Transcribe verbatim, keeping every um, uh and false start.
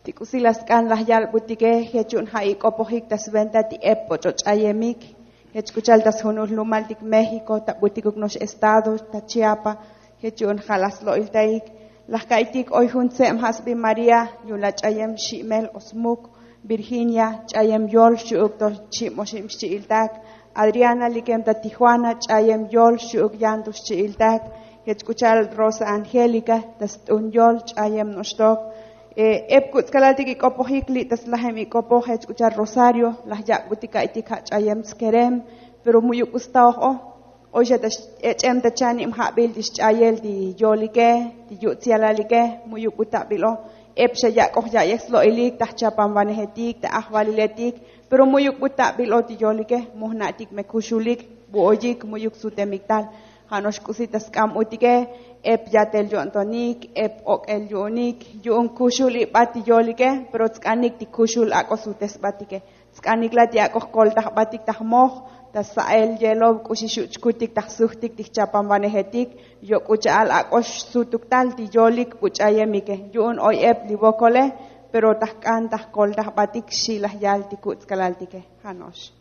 Ik'usi la sk'an laj yalbutike jech yu'un ja' ik'opojik ta sventa ti ep poch'o ch'ayemik. Jech k'u cha'al ta sjunul lumaltik méxiko ta butikuk no'ox estado ta chiapa. Jech yu'un ja' laj slo'iltaik laj ka'iytik oy jun tseb ja' sbi maría, yu'un la ch'ayem xi'mel o smuk virginia, ch'ayem yol xchi'uk to chib oxib xchi'iltak. Adriana likem ta tijuana, ch'ayem yol xchi'uk yanto xchi'iltak. Jech k'u cha'al rosa angélica ta st'un yol, ch'ayem no'oxtok. Ep kutz'kalaltik ik'opojik li' ta slajem ik'opoj jech k'u cha'al rosario laj yak'butik ka'iytik ja' ch'ayem tskerem. Pero mu'yuk k'u staoj o oy xa ta ech'em ta chanib ja'bil ti xch'ayel ti yolike, ti yu'tz yalalike. Mu'yuk k'u ta'bil o ep xa yak'oj ya'yej slo'ilik ta jchapanvanejetik ta ajvaliletik. Pero mu'yuk k'u ta'bil o ti yolike mu jna'tik me kuxulik, bu oyik mu'yuk sutemik tal. Ja' no'ox k'usi ta sk'am utike ep yatel yo'ntonik, ep ok'el yu'unik yu'un kuxul ibat ti yolike. Pero tsk'anik ti kuxul ak'o sutesbatike, tsk'anik la ti ak'o jkoltajbatik ta jmoj ta sa'el yelob k'uxi xu' chkutik ta jsujtik ti jchapanvanejetik. Yok k'u cha'al ak'o xsutuk tal ti yolik bu ch'ayemike yu'un oy ep li vokole. Pero ta jk'an ta jkoltajbatik xi laj yal ti kutz'kalaltike. Ja' no'ox.